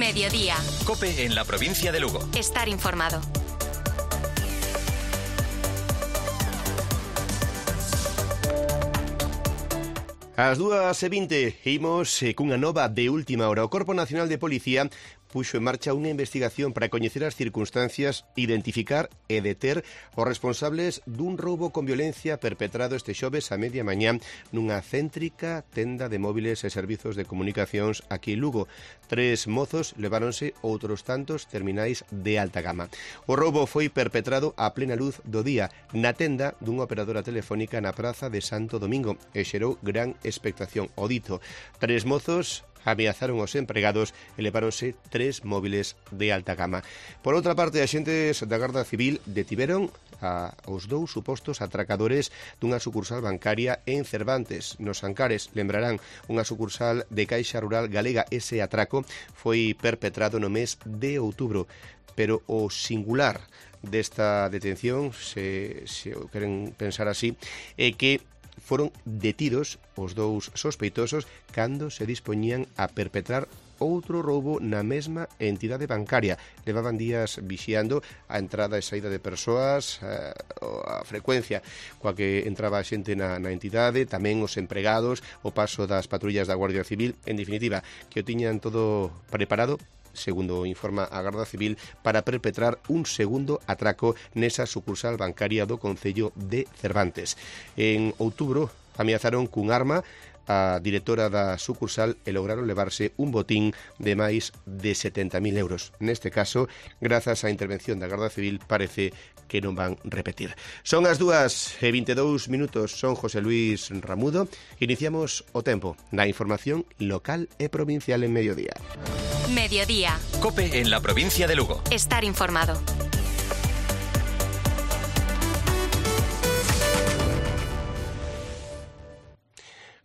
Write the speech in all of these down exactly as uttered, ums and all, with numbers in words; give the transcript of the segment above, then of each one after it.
Mediodía. COPE en la provincia de Lugo. Estar informado. Ás dúas e vinte imos eh, cunha nova de última hora. O Corpo Nacional de Policía puxo en marcha unha investigación para coñecer as circunstancias, identificar e deter os responsables dun roubo con violencia perpetrado este xoves a media mañá nunha céntrica tenda de móviles e servizos de comunicacións aquí en Lugo. Tres mozos leváronse outros tantos terminais de alta gama. O roubo foi perpetrado a plena luz do día na tenda dunha operadora telefónica na praza de Santo Domingo e xerou gran expectación. O dito, tres mozos ameazaron os empregados e leváronse tres móviles de alta gama. Por outra parte, axentes da Garda Civil detiveron a os dous supostos atracadores dunha sucursal bancaria en Cervantes, nos Ancares. Lembrarán, unha sucursal de Caixa Rural Galega. Ese atraco foi perpetrado no mes de outubro, pero o singular desta detención, se, se o queren pensar así, é que foron detidos os dous sospeitosos cando se dispoñían a perpetrar outro roubo na mesma entidade bancaria. Levaban días vixiando a entrada e saída de persoas, a frecuencia coa que entraba a xente na, na entidade, tamén os empregados, o paso das patrullas da Guardia Civil, en definitiva, que o tiñan todo preparado, segundo informa a Garda Civil, para perpetrar un segundo atraco nesa sucursal bancaria do concello de Cervantes. En outubro ameazaron cun arma a directora da sucursal e lograron levarse un botín de máis de setenta mil euros. Neste caso, grazas á intervención da Garda Civil, parece que non van repetir. Son as dúas e vinte e dous minutos, son José Luis Ramudo. Iniciamos o tempo na información local e provincial en Mediodía. Mediodía. COPE en la provincia de Lugo. Estar informado.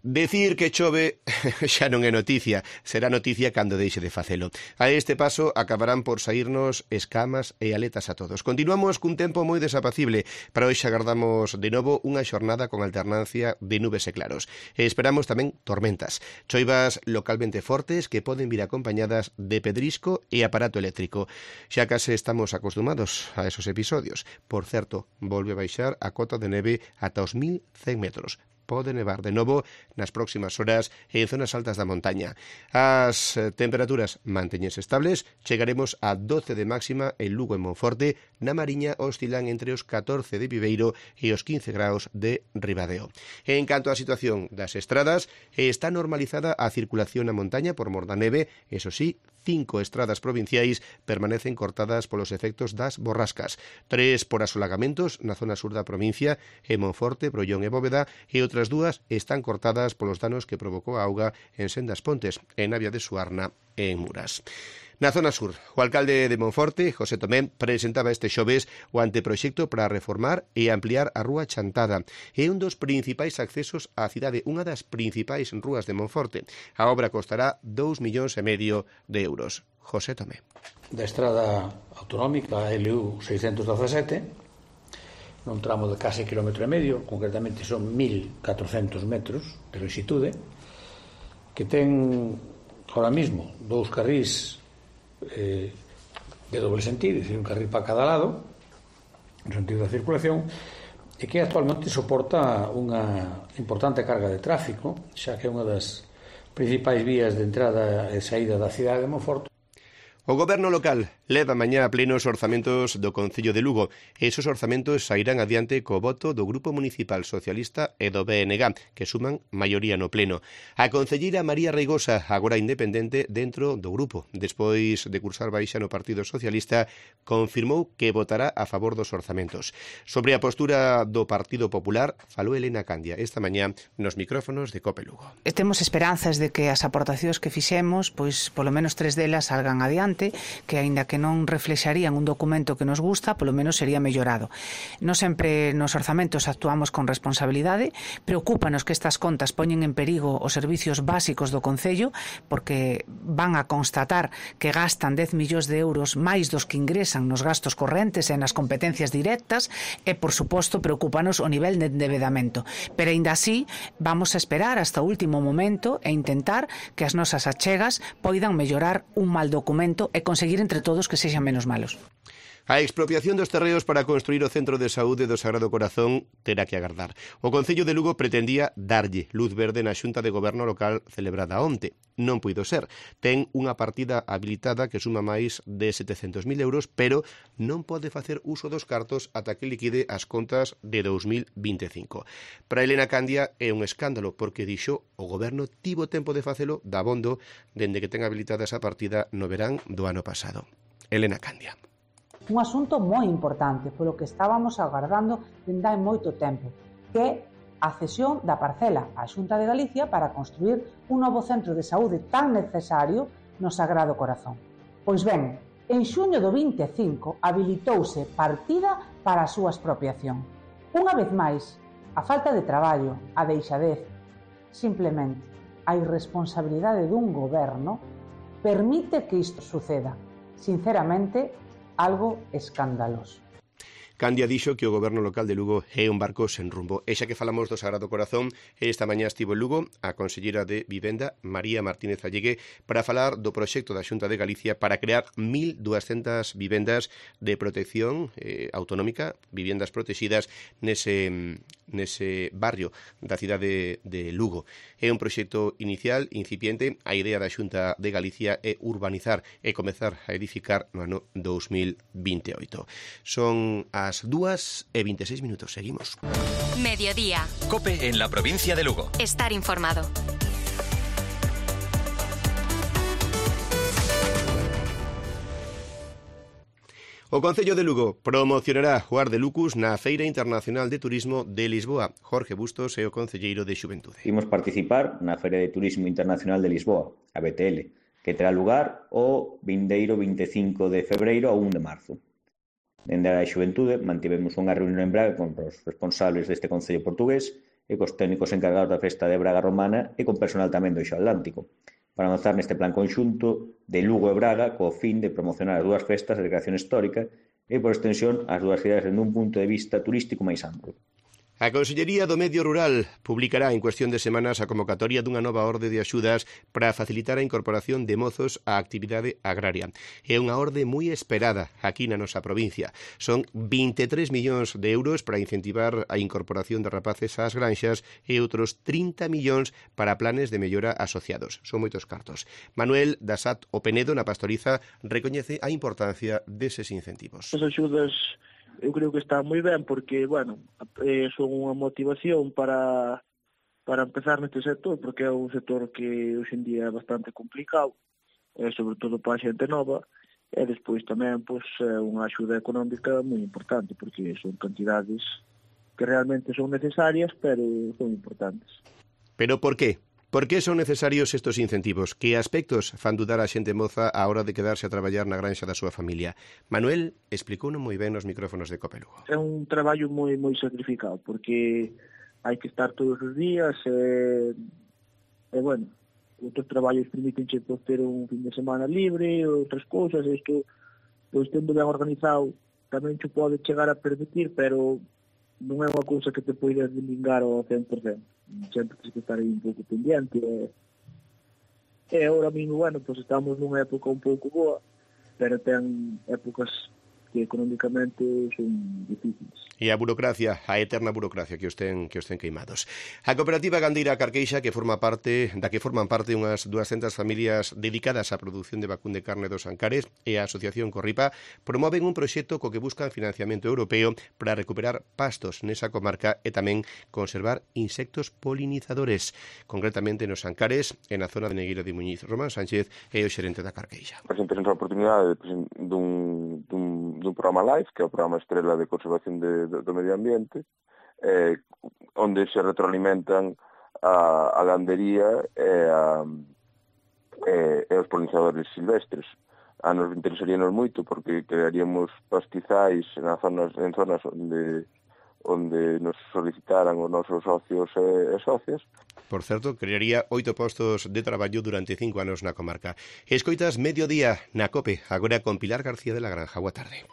Decir que chove xa non é noticia, será noticia cando deixe de facelo. A este paso acabarán por saírnos escamas e aletas a todos. Continuamos cun tempo moi desapacible. Para hoxe agardamos de novo unha xornada con alternancia de nubes e claros. E esperamos tamén tormentas. Choivas localmente fortes que poden vir acompañadas de pedrisco e aparato eléctrico. Xa case estamos acostumados a esos episodios. Por certo, volve a baixar a cota de neve ata os mil cen metros. Pode nevar de novo nas próximas horas en zonas altas da montaña. As temperaturas mantéñense estables, chegaremos a doce de máxima en Lugo e Monforte, na Mariña oscilan entre os catorce de Viveiro e os quince graus de Ribadeo. En canto á situación das estradas, está normalizada a circulación na montaña por mor da neve, eso sí, cinco estradas provinciais permanecen cortadas polos efectos das borrascas, tres por asolagamentos na zona sur da provincia, en Monforte, Brollón e Bóveda, e outras dúas están cortadas polos danos que provocou a auga en Sendas Pontes, en Navia de Suarna e en Muras. Na zona sur, o alcalde de Monforte, José Tomé, presentaba este xoves o anteproxecto para reformar e ampliar a Rúa Chantada. É un dos principais accesos á cidade, unha das principais rúas de Monforte. A obra costará dous millóns e medio de euros. José Tomé. Da estrada autonómica L U seiscentos dezasete, nun tramo de case kilómetro e medio, concretamente son mil catrocentos metros de longitude, que ten ahora mismo dous carrís Eh, de doble sentido, é dicir, un carril para cada lado no sentido da circulación, e que actualmente soporta unha importante carga de tráfico, xa que é unha das principais vías de entrada e saída da cidade de Monforte. O goberno local leva mañá a pleno os orzamentos do Concello de Lugo. Esos orzamentos sairán adiante co voto do Grupo Municipal Socialista e do B N G, que suman maioría no pleno. A concelleira María Reigosa, agora independente dentro do grupo, despois de cursar baixa no Partido Socialista, confirmou que votará a favor dos orzamentos. Sobre a postura do Partido Popular, falou Elena Candia esta mañá nos micrófonos de COPE Lugo. Temos esperanzas de que as aportacións que fixemos, pois polo menos tres delas salgan adiante. importante que, aínda que non reflexarían un documento que nos gusta, polo menos sería mellorado. Non sempre nos orzamentos actuamos con responsabilidade, preocúpanos que estas contas poñen en perigo os servicios básicos do Concello, porque van a constatar que gastan dez millóns de euros máis dos que ingresan nos gastos correntes e nas competencias directas, e, por suposto, preocúpanos o nivel de endevedamento. Pero, aínda así, vamos a esperar hasta o último momento e intentar que as nosas achegas poidan mellorar un mal documento e conseguir entre todos que sexan menos malos. A expropiación dos terreos para construir o Centro de Saúde do Sagrado Corazón terá que agardar. O Concello de Lugo pretendía darlle luz verde na Xunta de Goberno local celebrada onte. Non puido ser. Ten unha partida habilitada que suma máis de setecentos mil euros, pero non pode facer uso dos cartos ata que liquide as contas de dous mil vinte e cinco. Para Elena Candia é un escándalo, porque dixo o Goberno tivo tempo de facelo dabondo dende que ten habilitada esa partida no verán do ano pasado. Elena Candia. Un asunto moi importante, polo que estábamos agardando dende hai moito tempo, que é a cesión da parcela á Xunta de Galicia para construir un novo centro de saúde tan necesario no Sagrado Corazón. Pois ben, en xuño do vinte e cinco habilitouse partida para a súa expropiación. Unha vez máis, a falta de traballo, a deixadez, simplemente a irresponsabilidade dun goberno permite que isto suceda. Sinceramente, algo escandaloso. Candia dixo que o Goberno local de Lugo é un barco sen rumbo. E xa que falamos do Sagrado Corazón, esta mañá estivo en Lugo a conselleira de Vivenda, María Martínez Allegue, para falar do proxecto da Xunta de Galicia para crear mil duascentas vivendas de protección eh, autonómica, vivendas protegidas nese, nese barrio da cidade de Lugo. É un proxecto inicial, incipiente. A idea da Xunta de Galicia é urbanizar e comezar a edificar no ano dous mil vinte e oito. Son a As dúas e vinte e seis minutos. Seguimos. Mediodía. COPE en la provincia de Lugo. Estar informado. O Concello de Lugo promocionará o Ar de Lucus na Feira Internacional de Turismo de Lisboa. Jorge Bustos é o concelleiro de Xuventude. Imos participar na Feira de Turismo Internacional de Lisboa, a B T L, que terá lugar o vindeiro vinte e cinco de febreiro a un de marzo. Dende a Xuventude mantivemos unha reunión en Braga con os responsables deste concello portugués e cos técnicos encargados da festa de Braga Romana e con personal tamén do Eixo Atlántico, para avanzar neste plan conxunto de Lugo e Braga co fin de promocionar as dúas festas de recreación histórica e, por extensión, as dúas cidades dende un punto de vista turístico máis amplo. A Consellería do Medio Rural publicará en cuestión de semanas a convocatoria dunha nova orde de axudas para facilitar a incorporación de mozos á actividade agraria. É unha orde moi esperada aquí na nosa provincia. Son vinte e tres millóns de euros para incentivar a incorporación de rapaces ás granxas e outros trinta millóns para planes de mellora asociados. Son moitos cartos. Manuel Dasat O Penedo, na Pastoriza, recoñece a importancia deses incentivos. As axudas eu creo que está moi ben porque, bueno, eh, son unha motivación para para empezar neste sector, porque é un sector que hoxe en día é bastante complicado, eh, sobre todo para a xente nova, e despois tamén pois, é unha axuda económica moi importante, porque son cantidades que realmente son necesarias, pero son importantes. Pero por qué? Por que son necesarios estos incentivos? Que aspectos fan dudar a xente moza á hora de quedarse a traballar na granxa da súa familia? Manuel explicouno moi ben nos micrófonos de COPE Lugo. É un traballo moi moi sacrificado, porque hai que estar todos os días e, e bueno, outros traballos permítenche pues, ter un fin de semana libre, outras cousas, isto, pois tendo ben organizado, tamén te pode chegar a permitir, pero non é unha cousa que te poidas delingar ao cen por cento. Sempre tens que estar aí un pouco pendiente e, e ahora mismo, bueno, pues estamos nunha época un pouco boa, pero ten épocas que económicamente son difíciles. E a burocracia, a eterna burocracia que os ten, que os ten queimados. A cooperativa gandeira Carqueixa, que forma parte, da que forman parte unhas duascentas familias dedicadas á produción de vacún de carne dos Ancares, e a Asociación Corripa promoven un proxecto co que buscan financiamento europeo para recuperar pastos nesa comarca e tamén conservar insectos polinizadores, concretamente nos Ancares e na zona de Negueira de Muñiz. Román Sánchez é o xerente da Carqueixa. Presentamos a oportunidade dun, dun dun programa LIFE, que é o programa estrela de conservación de, de, do medio ambiente, eh, onde se retroalimentan a, a gandería e, a, e, e os polinizadores silvestres. a nos interesaríanos moito porque crearíamos pastizais nas zonas, en zonas onde onde nos solicitaran os nosos socios e, e socias. Por certo, crearía oito postos de traballo durante cinco anos na comarca. Escoitas Mediodía na COPE, agora con Pilar García de la Granja. Boa tarde.